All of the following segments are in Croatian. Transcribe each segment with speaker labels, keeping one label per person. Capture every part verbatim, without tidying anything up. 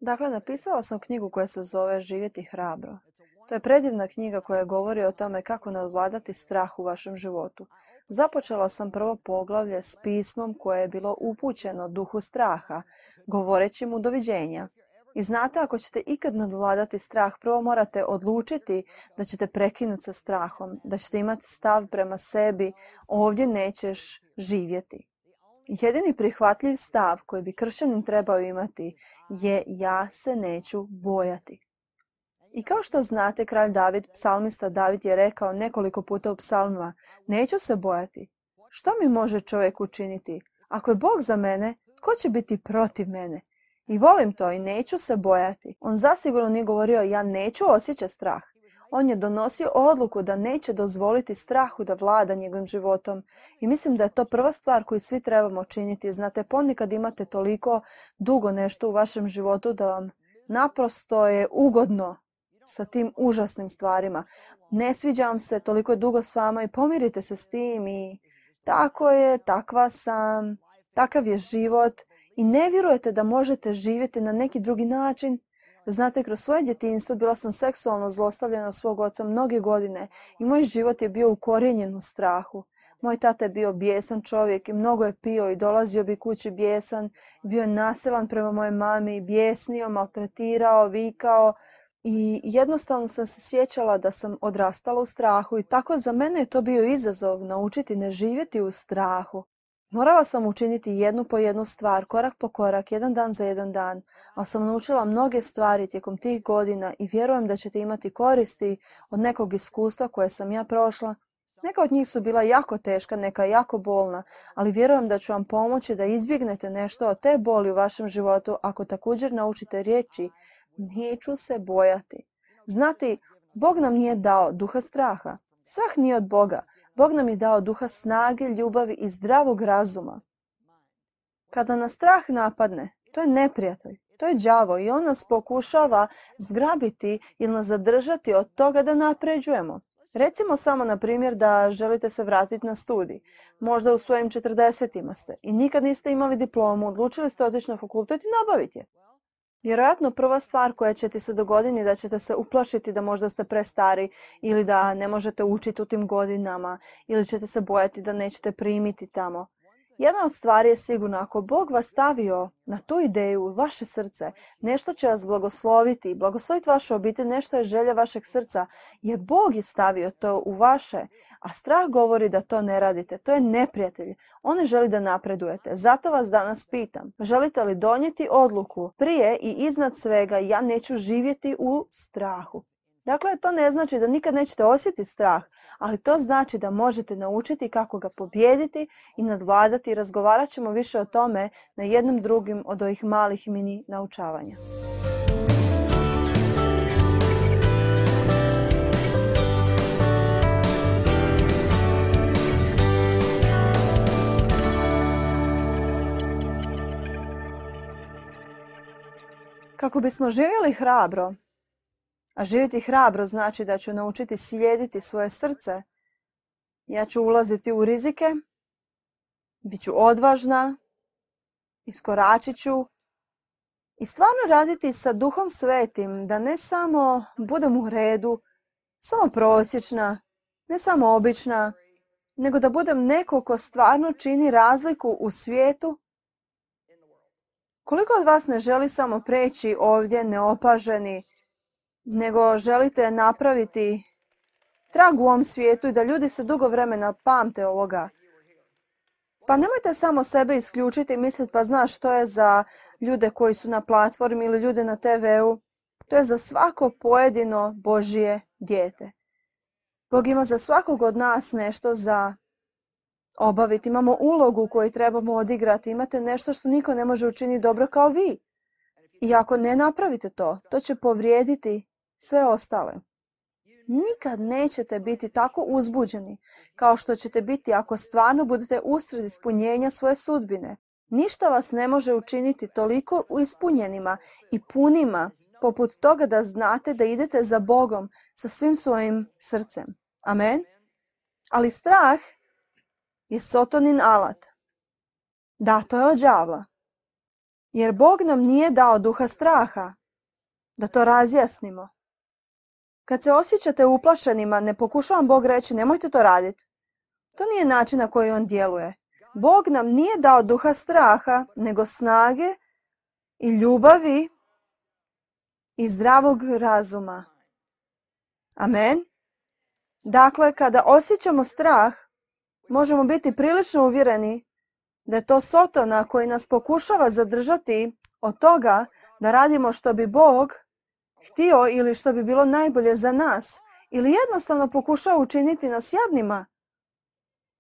Speaker 1: Dakle, napisala sam knjigu koja se zove Živjeti hrabro. To je predivna knjiga koja govori o tome kako nadvladati strah u vašem životu. Započela sam prvo poglavlje s pismom koje je bilo upućeno duhu straha, govoreći mu doviđenja. I znate, ako ćete ikad nadvladati strah, prvo morate odlučiti da ćete prekinuti sa strahom, da ćete imati stav prema sebi, ovdje nećeš živjeti. Jedini prihvatljiv stav koji bi kršćanin trebao imati je ja se neću bojati. I kao što znate, kralj David, psalmista David je rekao nekoliko puta u psalmima, neću se bojati. Što mi može čovjek učiniti? Ako je Bog za mene, tko će biti protiv mene? I volim to i neću se bojati. On zasigurno nije govorio ja neću osjećati strah. On je donosio odluku da neće dozvoliti strahu da vlada njegovim životom. I mislim da je to prva stvar koju svi trebamo činiti. Znate, ponekad imate toliko dugo nešto u vašem životu da vam naprosto je ugodno sa tim užasnim stvarima. Ne sviđa vam se, toliko je dugo s vama i pomirite se s tim i tako je, takva sam, takav je život i ne vjerujete da možete živjeti na neki drugi način. Znate, kroz svoje djetinjstvo bila sam seksualno zlostavljena od svog oca mnoge godine i moj život je bio ukorijenjen u strahu. Moj tata je bio bijesan čovjek i mnogo je pio i dolazio bi kući bijesan. Bio je nasilan prema mojoj mami, bijesnio, maltretirao, vikao i jednostavno sam se sjećala da sam odrastala u strahu i tako za mene je to bio izazov naučiti ne živjeti u strahu. Morala sam učiniti jednu po jednu stvar, korak po korak, jedan dan za jedan dan, ali sam naučila mnoge stvari tijekom tih godina i vjerujem da ćete imati koristi od nekog iskustva koje sam ja prošla. Neka od njih su bila jako teška, neka jako bolna, ali vjerujem da ću vam pomoći da izbjegnete nešto od te boli u vašem životu ako također naučite riječi neću se bojati. Znate, Bog nam nije dao duha straha. Strah nije od Boga. Bog nam je dao duha snage, ljubavi i zdravog razuma. Kada nas strah napadne, to je neprijatelj, to je đavo i on nas pokušava zgrabiti ili nas zadržati od toga da napređujemo. Recimo samo na primjer da želite se vratiti na studij. Možda u svojim četrdesetima ste i nikad niste imali diplomu, odlučili ste otići na fakultet i nabaviti je. Vjerojatno prva stvar koja će ti se dogoditi je da ćete se uplašiti da možda ste prestari ili da ne možete učiti u tim godinama ili ćete se bojati da nećete primiti tamo. Jedna od stvari je sigurno, ako Bog vas stavio na tu ideju u vaše srce, nešto će vas blagosloviti, blagosloviti vašu obitelj, nešto je želja vašeg srca, je Bog je stavio to u vaše, a strah govori da to ne radite, to je neprijatelj. On ne želi da napredujete. Zato vas danas pitam, želite li donijeti odluku prije i iznad svega ja neću živjeti u strahu? Dakle, to ne znači da nikad nećete osjetiti strah, ali to znači da možete naučiti kako ga pobijediti i nadvladati. Razgovarat ćemo više o tome na jednom drugim od ovih malih mini naučavanja. Kako bismo živjeli hrabro, a živjeti hrabro znači da ću naučiti slijediti svoje srce. Ja ću ulaziti u rizike, bit ću odvažna, iskoračit ću i stvarno raditi sa Duhom Svetim da ne samo budem u redu, samo prosječna, ne samo obična, nego da budem neko ko stvarno čini razliku u svijetu. Koliko od vas ne želi samo preći ovdje neopaženi, nego želite napraviti trag u ovom svijetu i da ljudi se dugo vremena pamte ovoga? Pa nemojte samo sebe isključiti i misliti pa znaš što je za ljude koji su na platformi ili ljude na te veu. To je za svako pojedino Božje dijete. Bog ima za svakog od nas nešto za obaviti. Imamo ulogu koju trebamo odigrati. Imate nešto što niko ne može učiniti dobro kao vi. I ako ne napravite to, to će povrijediti sve ostale. Nikad nećete biti tako uzbuđeni kao što ćete biti ako stvarno budete usred ispunjenja svoje sudbine. Ništa vas ne može učiniti toliko ispunjenima i punima poput toga da znate da idete za Bogom sa svim svojim srcem. Amen? Ali strah je Sotonin alat. Da, to je od đavla. Jer Bog nam nije dao duha straha. Da to razjasnimo. Kad se osjećate uplašenima, ne pokušavam Bog reći nemojte to raditi. To nije način na koji on djeluje. Bog nam nije dao duha straha, nego snage i ljubavi i zdravog razuma. Amen. Dakle, kada osjećamo strah, možemo biti prilično uvjereni da je to Sotona koji nas pokušava zadržati od toga da radimo što bi Bog htio ili što bi bilo najbolje za nas, ili jednostavno pokušava učiniti nas jadnima.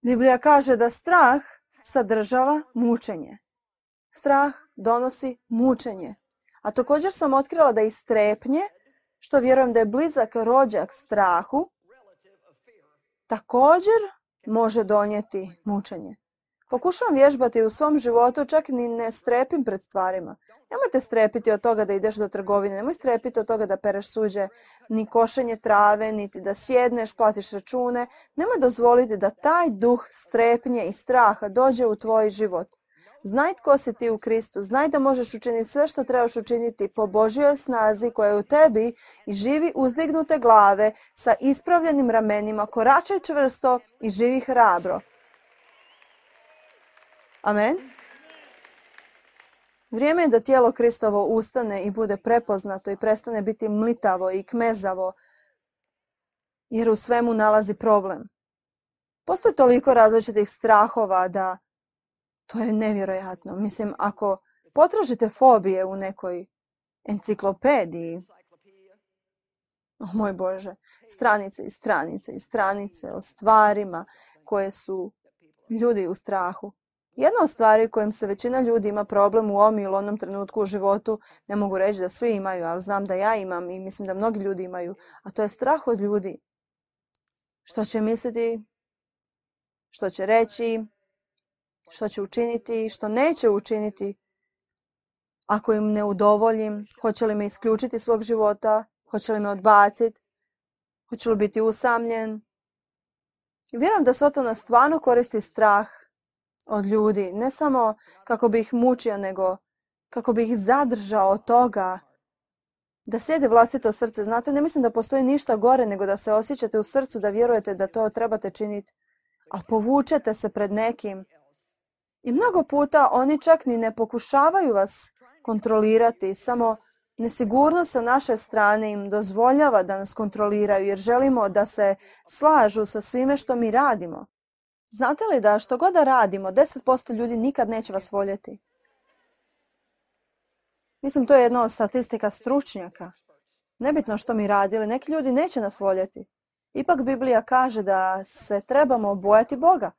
Speaker 1: Biblija kaže da strah sadržava mučenje. Strah donosi mučenje. A također sam otkrila da i strepnje, što vjerujem da je blizak rođak strahu, također može donijeti mučenje. Pokušavam vježbati u svom životu, čak ni ne strepim pred stvarima. Nemojte strepiti od toga da ideš do trgovine, nemoj strepiti od toga da pereš suđe, ni košenje trave, niti da sjedneš, platiš račune. Nemoj dozvoliti da taj duh strepnje i straha dođe u tvoj život. Znaj tko si ti u Kristu, znaj da možeš učiniti sve što trebaš učiniti po Božjoj snazi koja je u tebi i živi uzdignute glave sa ispravljenim ramenima, koračaj čvrsto i živi hrabro. Amen. Vrijeme je da tijelo Kristovo ustane i bude prepoznato i prestane biti mlitavo i kmezavo, jer u svemu nalazi problem. Postoji toliko različitih strahova da to je nevjerojatno. Mislim, ako potražite fobije u nekoj enciklopediji, o moj Bože, stranice i stranice i stranice o stvarima koje su ljudi u strahu. Jedna od stvari kojim se većina ljudi ima problem u ovom ili onom trenutku u životu, ne mogu reći da svi imaju, ali znam da ja imam i mislim da mnogi ljudi imaju, a to je strah od ljudi. Što će misliti, što će reći, što će učiniti, što neće učiniti. Ako im ne udovoljim, hoće li me isključiti iz svog života, hoće li me odbaciti, hoće li biti usamljen. Vjerujem da Sotona stvarno koristi strah od ljudi, ne samo kako bi ih mučio, nego kako bi ih zadržao od toga da sjede vlastito srce. Znate, ne mislim da postoji ništa gore nego da se osjećate u srcu, da vjerujete da to trebate činiti, a povučete se pred nekim. I mnogo puta oni čak ni ne pokušavaju vas kontrolirati, samo nesigurnost sa naše strane im dozvoljava da nas kontroliraju jer želimo da se slažu sa svime što mi radimo. Znate li da što god da radimo, deset posto ljudi nikad neće vas voljeti? Mislim, to je jedna od statistika stručnjaka. Nebitno što mi radili, neki ljudi neće nas voljeti. Ipak Biblija kaže da se trebamo bojati Boga.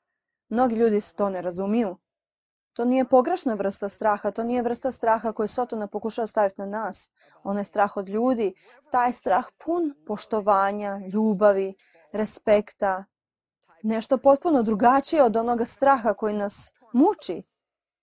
Speaker 1: Mnogi ljudi to ne razumiju. To nije pogrešna vrsta straha, to nije vrsta straha koju Sotona pokušava staviti na nas. On je strah od ljudi, taj strah pun poštovanja, ljubavi, respekta. Nešto potpuno drugačije od onoga straha koji nas muči.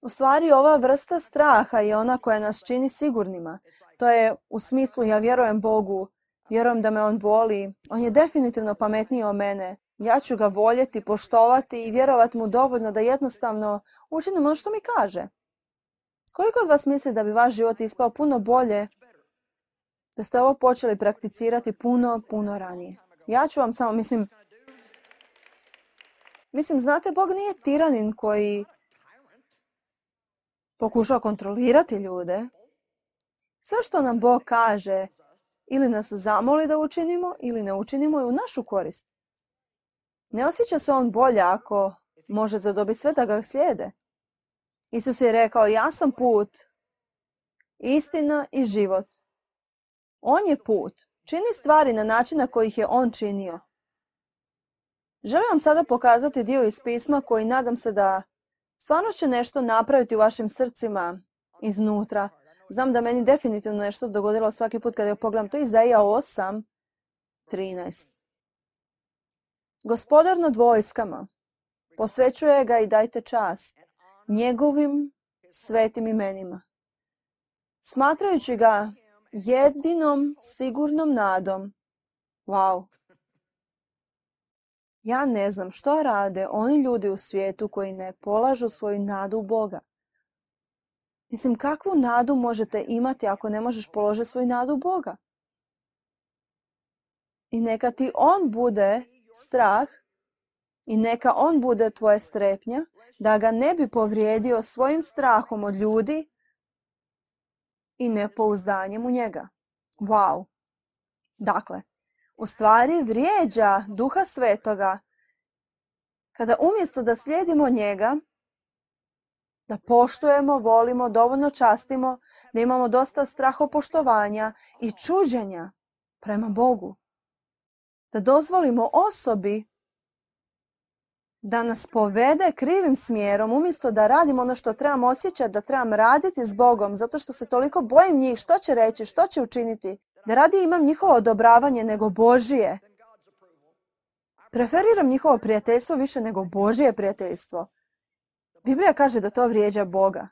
Speaker 1: U stvari, ova vrsta straha je ona koja nas čini sigurnima. To je u smislu ja vjerujem Bogu, vjerujem da me On voli. On je definitivno pametniji od mene. Ja ću ga voljeti, poštovati i vjerovati mu dovoljno da jednostavno učinim ono što mi kaže. Koliko od vas misli da bi vaš život ispao puno bolje da ste ovo počeli prakticirati puno, puno ranije? Ja ću vam samo, mislim, mislim, znate, Bog nije tiranin koji pokušava kontrolirati ljude. Sve što nam Bog kaže ili nas zamoli da učinimo ili ne učinimo je u našu korist. Ne osjeća se on bolje ako može zadobiti sve da ga slijede. Isus je rekao, ja sam put, istina i život. On je put. Čini stvari na način na koji ih je on činio. Želim vam sada pokazati dio iz pisma koji nadam se da stvarno će nešto napraviti u vašim srcima iznutra. Znam da meni definitivno nešto dogodilo svaki put kada je pogledam. To je Izaija osam trinaest. Gospodar nad vojskama, posvećuje ga i dajte čast njegovim svetim imenima. Smatrajući ga jedinom sigurnom nadom. Wow. Ja ne znam što rade oni ljudi u svijetu koji ne polažu svoju nadu u Boga. Mislim, kakvu nadu možete imati ako ne možeš položiti svoju nadu u Boga? I neka ti On bude strah i neka On bude tvoja strepnja, da ga ne bi povrijedio svojim strahom od ljudi i nepouzdanjem u njega. Wow! Dakle, u stvari vrijeđa Duha Svetoga kada umjesto da slijedimo njega, da poštujemo, volimo, dovoljno častimo, da imamo dosta strahopoštovanja i čuđenja prema Bogu. Da dozvolimo osobi da nas povede krivim smjerom, umjesto da radimo ono što trebam osjećati, da trebam raditi s Bogom, zato što se toliko bojim njih, što će reći, što će učiniti. Da radije imam njihovo odobravanje nego Božije. Preferiram njihovo prijateljstvo više nego Božije prijateljstvo. Biblija kaže da to vrijeđa Boga.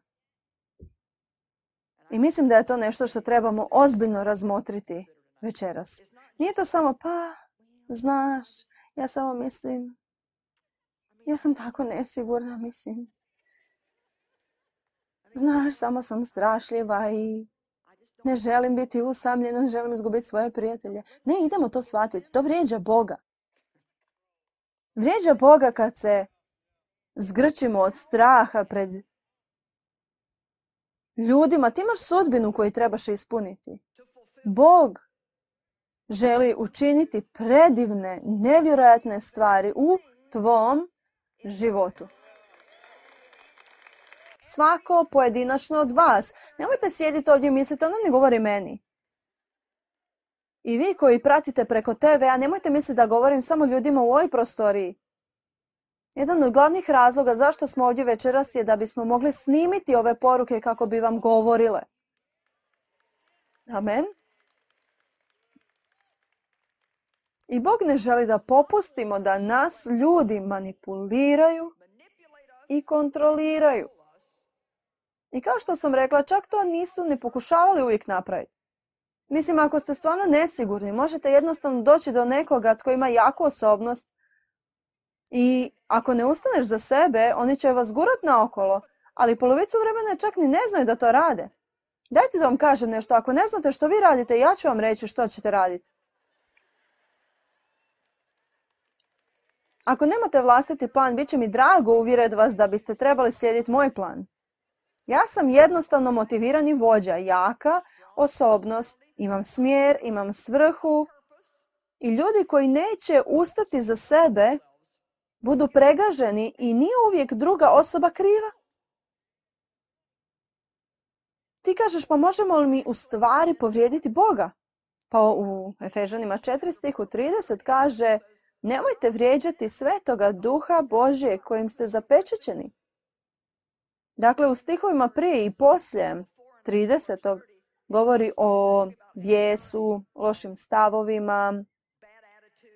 Speaker 1: I mislim da je to nešto što trebamo ozbiljno razmotriti večeras. Nije to samo, pa, znaš, ja samo mislim, ja sam tako nesigurna, mislim. Znaš, samo sam strašljiva i ne želim biti usamljena, ne želim izgubiti svoje prijatelje. Ne, idemo to shvatiti. To vrijeđa Boga. Vrijeđa Boga kad se zgrčimo od straha pred ljudima. Ti imaš sudbinu koju trebaš ispuniti. Bog želi učiniti predivne, nevjerojatne stvari u tvom životu. Svako pojedinačno od vas. Nemojte sjediti ovdje i misliti, ono ne govori meni. I vi koji pratite preko te ve a, nemojte misliti da govorim samo ljudima u ovoj prostoriji. Jedan od glavnih razloga zašto smo ovdje večeras je da bismo mogli snimiti ove poruke kako bi vam govorile. Amen. I Bog ne želi da popustimo da nas ljudi manipuliraju i kontroliraju. I kao što sam rekla, čak to nisu ni pokušavali uvijek napraviti. Mislim, ako ste stvarno nesigurni, možete jednostavno doći do nekoga tko ima jaku osobnost i ako ne ustaneš za sebe, oni će vas gurat naokolo, ali polovicu vremena čak ni ne znaju da to rade. Dajte da vam kažem nešto, ako ne znate što vi radite, ja ću vam reći što ćete raditi. Ako nemate vlastiti plan, bit će mi drago uvjeriti vas da biste trebali slijediti moj plan. Ja sam jednostavno motivirani vođa, jaka osobnost, imam smjer, imam svrhu i ljudi koji neće ustati za sebe budu pregaženi i nije uvijek druga osoba kriva. Ti kažeš, pa možemo li mi u stvari povrijediti Boga? Pa u Efežanima četiri stihu trideset kaže, nemojte vrijeđati Svetoga Duha Božje kojim ste zapečećeni. Dakle, u stihovima prije i poslije tridesetog govori o bijesu, lošim stavovima,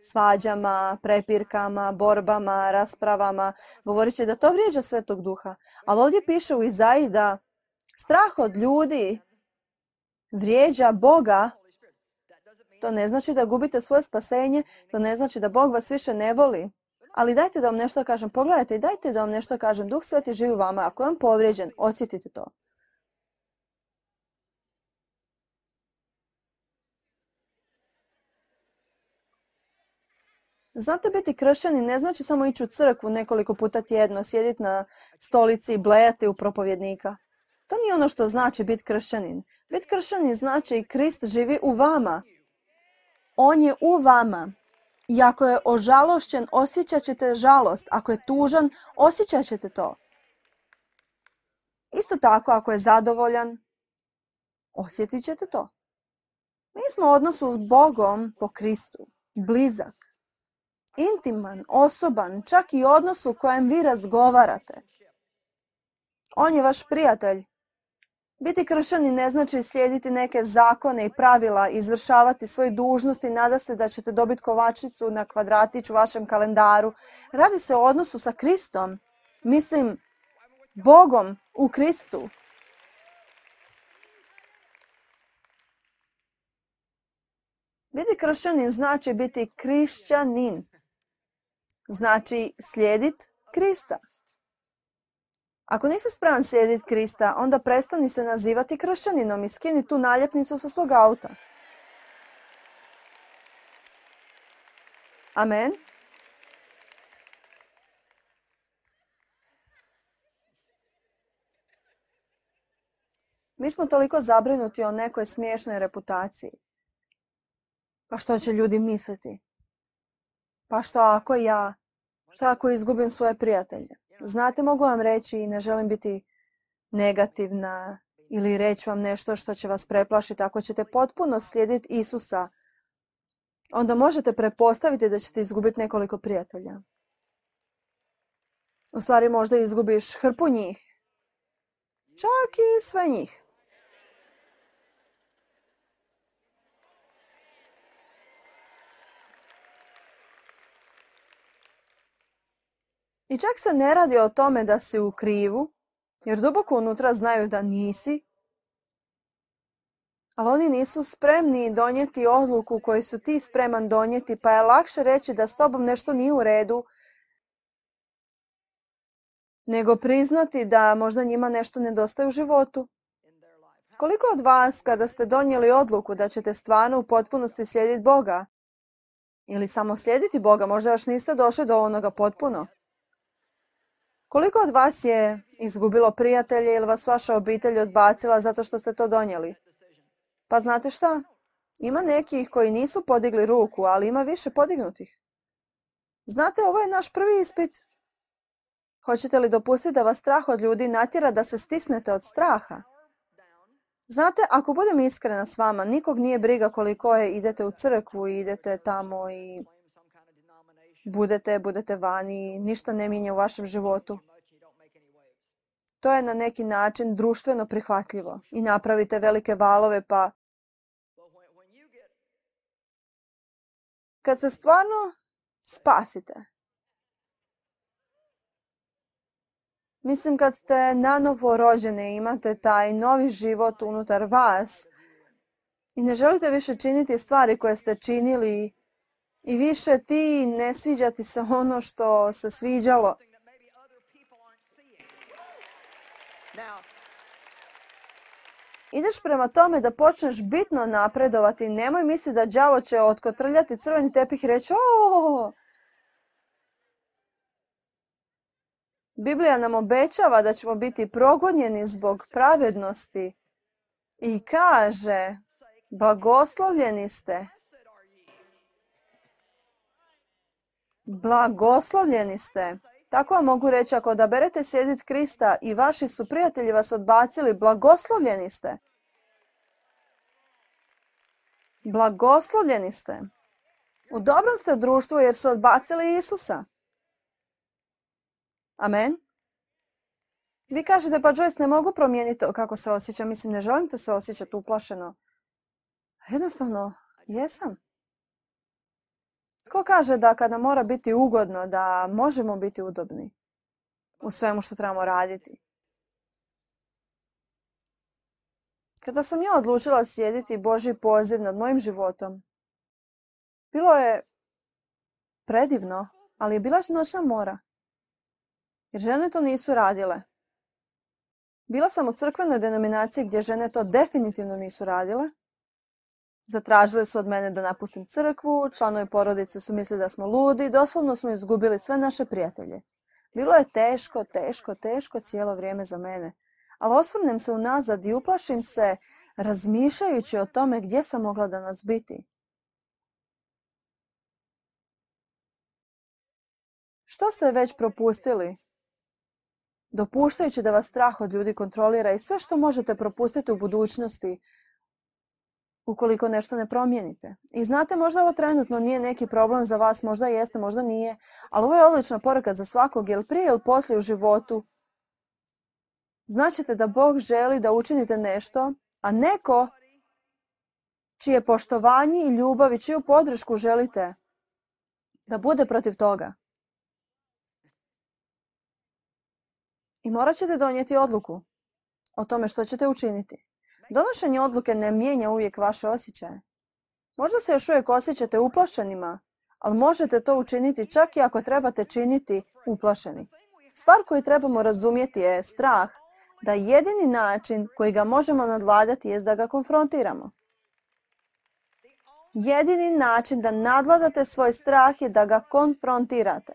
Speaker 1: svađama, prepirkama, borbama, raspravama. Govorit će da to vrijeđa Svetog Duha. Ali ovdje piše u Izaiji da strah od ljudi vrijeđa Boga. To ne znači da gubite svoje spasenje, to ne znači da Bog vas više ne voli. Ali dajte da vam nešto kažem. Pogledajte i dajte da vam nešto kažem. Duh Sveti živi u vama. Ako je on povrijeđen, osjetite to. Znate, biti kršćanin ne znači samo ići u crkvu nekoliko puta tjedno, sjediti na stolici i blejati u propovjednika. To nije ono što znači biti kršćanin. Biti kršćanin znači i Krist živi u vama. On je u vama. I ako je ožalošćen, osjećat ćete žalost. Ako je tužan, osjećat ćete to. Isto tako, ako je zadovoljan, osjetit ćete to. Mi smo u odnosu s Bogom po Kristu. Blizak, intiman, osoban, čak i odnos u kojem vi razgovarate. On je vaš prijatelj. Biti kršćanin ne znači slijediti neke zakone i pravila, izvršavati svoje dužnosti i nada se da ćete dobiti kovačicu na kvadratić u vašem kalendaru. Radi se o odnosu sa Kristom. Mislim, Bogom u Kristu. Biti kršćanin znači biti krišćanin. Znači slijediti Krista. Ako nisi spreman slijediti Krista, onda prestani se nazivati kršćaninom i skini tu naljepnicu sa svog auta. Amen. Mi smo toliko zabrinuti o nekoj smiješnoj reputaciji. Pa što će ljudi misliti? Pa što ako ja, što ako izgubim svoje prijatelje? Znate, mogu vam reći i ne želim biti negativna ili reći vam nešto što će vas preplašiti. Ako ćete potpuno slijediti Isusa, onda možete pretpostaviti da ćete izgubiti nekoliko prijatelja. U stvari možda izgubiš hrpu njih. Čak i sve njih. I čak se ne radi o tome da si u krivu, jer duboko unutra znaju da nisi, ali oni nisu spremni donijeti odluku koju su ti spreman donijeti, pa je lakše reći da s tobom nešto nije u redu, nego priznati da možda njima nešto nedostaje u životu. Koliko od vas, kada ste donijeli odluku da ćete stvarno u potpunosti slijediti Boga, ili samo slijediti Boga, možda još niste došli do onoga potpuno, koliko od vas je izgubilo prijatelje ili vas vaša obitelj odbacila zato što ste to donijeli? Pa znate šta? Ima nekih koji nisu podigli ruku, ali ima više podignutih. Znate, ovo je naš prvi ispit. Hoćete li dopustiti da vas strah od ljudi natjera da se stisnete od straha? Znate, ako budem iskrena s vama, nikog nije briga koliko je idete u crkvu i idete tamo i budete, budete vani, ništa ne mijenja u vašem životu. To je na neki način društveno prihvatljivo i napravite velike valove, pa kad se stvarno spasite, mislim kad ste nanovo rođeni, imate taj novi život unutar vas i ne želite više činiti stvari koje ste činili i više ti ne sviđa ti se ono što se sviđalo. Ideš prema tome da počneš bitno napredovati. Nemoj misliti da đavo će otkotrljati crveni tepih i reći o. Biblija nam obećava da ćemo biti progonjeni zbog pravednosti i kaže blagoslovljeni ste. Blagoslovljeni ste. Tako vam mogu reći, ako odaberete slijediti Krista i vaši su prijatelji vas odbacili, blagoslovljeni ste. Blagoslovljeni ste. U dobrom ste društvu jer su odbacili Isusa. Amen. Vi kažete, pa Joyce, ne mogu promijeniti to kako se osjećam. Mislim, ne želim te se osjećati uplašeno. Jednostavno, jesam. Tko kaže da kada mora biti ugodno, da možemo biti udobni u svemu što trebamo raditi? Kada sam ja odlučila slijediti Božji poziv nad mojim životom, bilo je predivno, ali je bila noćna mora. Jer žene to nisu radile. Bila sam u crkvenoj denominaciji gdje žene to definitivno nisu radile. Zatražili su od mene da napustim crkvu, članovi porodice su mislili da smo ludi, doslovno smo izgubili sve naše prijatelje. Bilo je teško, teško, teško cijelo vrijeme za mene. Ali osvrnem se unazad i uplašim se razmišljajući o tome gdje sam mogla danas biti. Što ste već propustili? Dopuštajući da vas strah od ljudi kontrolira i sve što možete propustiti u budućnosti ukoliko nešto ne promijenite. I znate, možda ovo trenutno nije neki problem za vas, možda jeste, možda nije, ali ovo je odlična poruka za svakog, jer prije ili poslije u životu značite da Bog želi da učinite nešto, a neko čije poštovanje i ljubav i čiju podršku želite da bude protiv toga. I morat ćete donijeti odluku o tome što ćete učiniti. Donošenje odluke ne mijenja uvijek vaše osjećaje. Možda se još uvijek osjećate uplašenima, ali možete to učiniti čak i ako trebate činiti uplašeni. Stvar koju trebamo razumjeti je strah, da jedini način koji ga možemo nadvladati je da ga konfrontiramo. Jedini način da nadvladate svoj strah je da ga konfrontirate.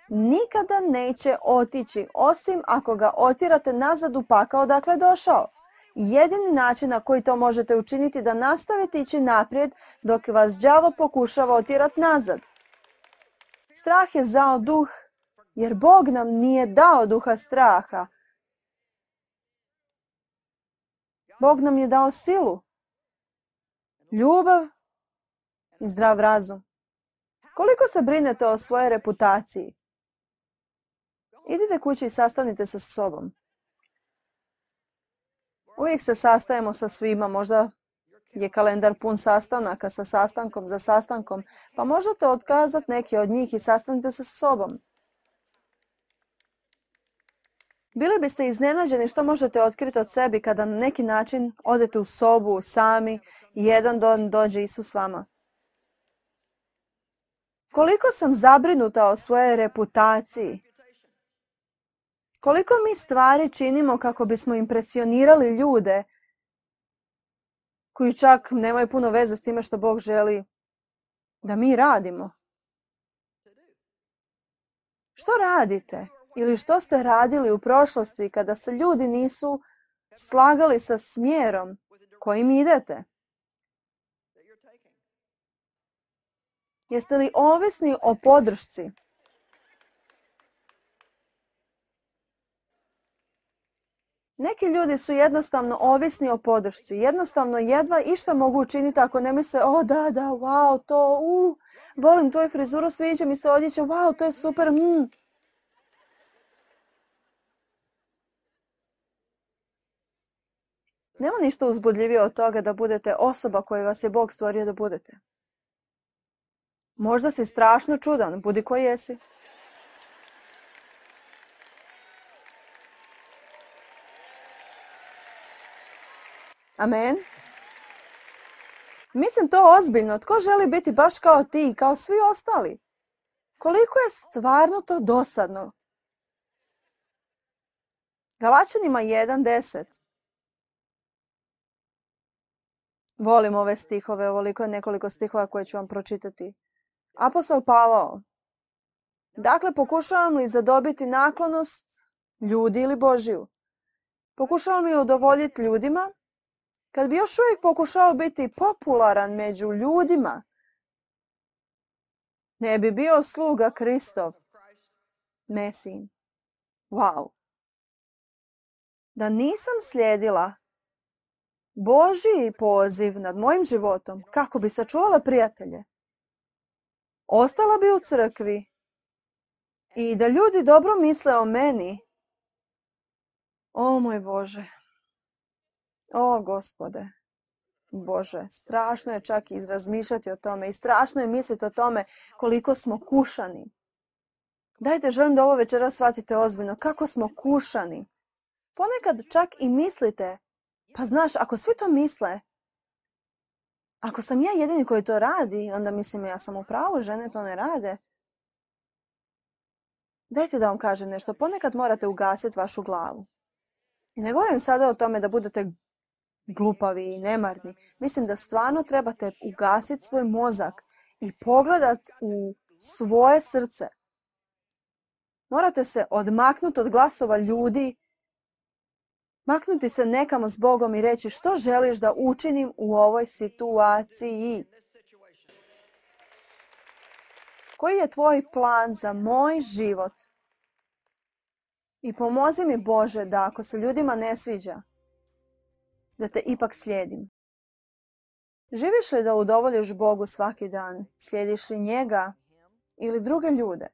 Speaker 1: Nikada neće otići, osim ako ga otjerate nazad u pakao odakle je došao. Jedini način na koji to možete učiniti je da nastavite ići naprijed dok vas đavo pokušava otjerati nazad. Strah je zao duh, jer Bog nam nije dao duha straha. Bog nam je dao silu, ljubav i zdrav razum. Koliko se brinete o svojoj reputaciji? Idite kući i sastanite se sa sobom. Uvijek se sastajemo sa svima, možda je kalendar pun sastanaka sa sastankom za sastankom, pa možete otkazati neki od njih i sastanite se sa sobom. Bili biste iznenađeni što možete otkriti od sebi kada na neki način odete u sobu sami i jedan dan dođe Isus s vama. Koliko sam zabrinuta o svojoj reputaciji. Koliko mi stvari činimo kako bismo impresionirali ljude koji čak nemaju puno veze s time što Bog želi da mi radimo. Što radite? Ili što ste radili u prošlosti kada se ljudi nisu slagali sa smjerom kojim idete? Jeste li ovisni o podršci? Neki ljudi su jednostavno ovisni o podršci. Jednostavno jedva išta mogu učiniti ako ne misle, o da, da, wow, to, u, volim tvoju frizuru, sviđa mi se odjeća, wow, to je super, mm. Nema ništa uzbudljivije od toga da budete osoba koju vas je Bog stvorio da budete. Možda si strašno čudan, budi ko jesi. Amen. Mislim to ozbiljno. Tko želi biti baš kao ti, kao svi ostali? Koliko je stvarno to dosadno? Galačanima jedan deset. Volim ove stihove, ovoliko je nekoliko stihova koje ću vam pročitati. Apostol Pavao. Dakle, pokušavam li zadobiti naklonost ljudi ili Božiju? Pokušavam li udovoljiti ljudima? Kad bi još uvijek pokušao biti popularan među ljudima, ne bi bio sluga Kristov, Mesin. Wow. Da nisam slijedila Božji poziv nad mojim životom kako bi sačuvala prijatelje, ostala bi u crkvi i da ljudi dobro misle o meni. O moj Bože. O Gospode. Bože, strašno je čak i razmišljati o tome i strašno je misliti o tome koliko smo kušani. Dajte, želim da ovo večera shvatite ozbiljno. Kako smo kušani. Ponekad čak i mislite, pa znaš, ako svi to misle, ako sam ja jedini koji to radi, onda mislim ja sam u pravu, žene to ne rade. Dajte da vam kažem nešto, ponekad morate ugasiti vašu glavu. I ne govorim sada o tome da budete glupavi i nemarni. Mislim da stvarno trebate ugasiti svoj mozak i pogledati u svoje srce. Morate se odmaknuti od glasova ljudi, maknuti se nekamo s Bogom i reći što želiš da učinim u ovoj situaciji. Koji je tvoj plan za moj život? I pomozi mi, Bože, da ako se ljudima ne sviđa, da te ipak slijedim. Živiš li da udovoljiš Bogu svaki dan? Slijediš li njega ili druge ljude?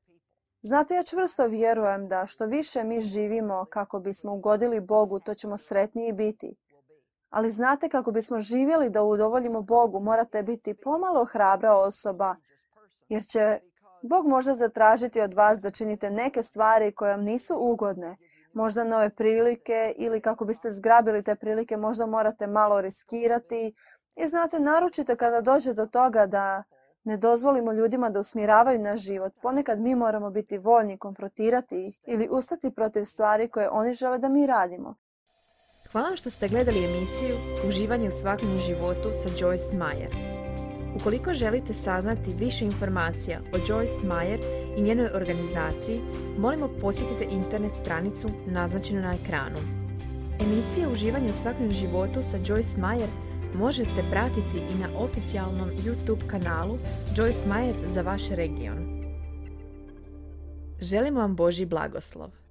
Speaker 1: Znate, ja čvrsto vjerujem da što više mi živimo kako bismo ugodili Bogu, to ćemo sretniji biti. Ali znate, kako bismo živjeli da udovoljimo Bogu, morate biti pomalo hrabra osoba, jer će Bog možda zatražiti od vas da činite neke stvari koje vam nisu ugodne, možda nove prilike ili kako biste zgrabili te prilike, možda morate malo riskirati. I znate, naročito kada dođe do toga da Ne dozvolimo ljudima da usmjeravaju naš život. Ponekad mi moramo biti voljni, konfrontirati ih ili ustati protiv stvari koje oni žele da mi radimo.
Speaker 2: Hvala vam što ste gledali emisiju Uživanje u svakodnevnom životu sa Joyce Meyer. Ukoliko želite saznati više informacija o Joyce Meyer i njenoj organizaciji, molimo posjetite internet stranicu naznačenu na ekranu. Emisije Uživanje u svakodnevnom životu sa Joyce Meyer možete pratiti i na oficijalnom YouTube kanalu Joyce Meyer za vaš region. Želimo vam Božji blagoslov.